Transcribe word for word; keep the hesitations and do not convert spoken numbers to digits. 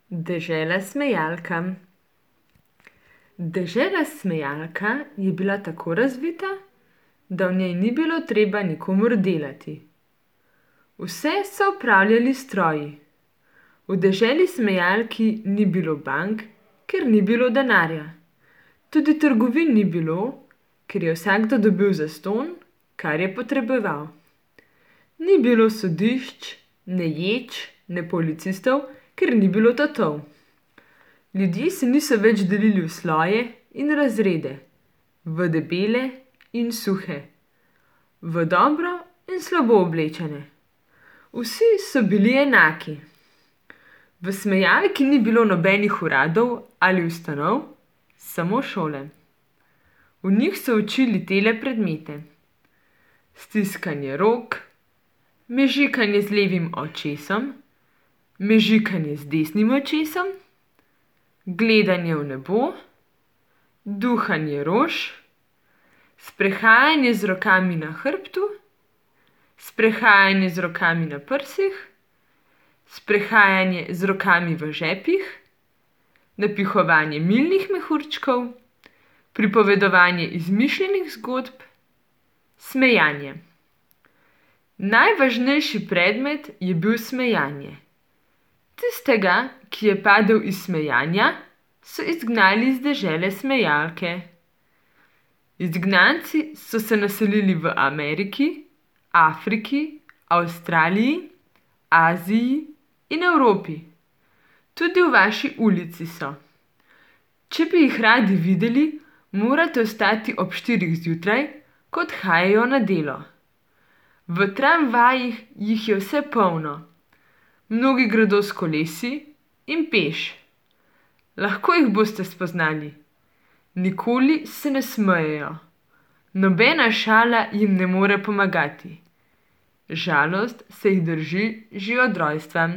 Dežela smejalka. Dežela smejalka je bila tako razvita, da v njej ni bilo treba nikomur delati. Vse so opravljali stroji. V deželi smejalki ni bilo bank, ker ni bilo denarja. Tudi trgovin ni bilo, ker je vsakdo dobil zastonj, kar je potreboval. Ni bilo sodišč, ne ječ, ne policistov, ker ni bilo tatov. Ljudje se niso več delili v sloje in razrede, v debele in suhe, v dobro in slabo oblečene. Vsi so bili enaki. V smejalki ni bilo nobenih uradov ali ustanov, samo šole. V njih so učili tele predmete: stiskanje rok, mežikanje z levim očesom, mežikanje z desnim očesom, gledanje v nebo, duhanje rož, sprehajanje z rokami na hrbtu, sprehajanje z rokami na prsih, sprehajanje z rokami v žepih, napihovanje milnih mehurčkov, pripovedovanje izmišljenih zgodb, smejanje. Najvažnejši predmet je bil smejanje. Tistega, ki je padel iz smejanja, so izgnali iz dežele smejalke. Izgnanci so se naselili v Ameriki, Afriki, Avstraliji, Aziji in Evropi. Tudi v vaši ulici so. Če bi jih radi videli, morate vstati ob štirih zjutraj, ko odhajajo na delo. V tramvajih jih je vse polno. Mnogi gredo s kolesi in peš. Lahko jih boste spoznali. Nikoli se ne smejejo. Nobena šala jim ne more pomagati. Žalost se jih drži že od rojstva.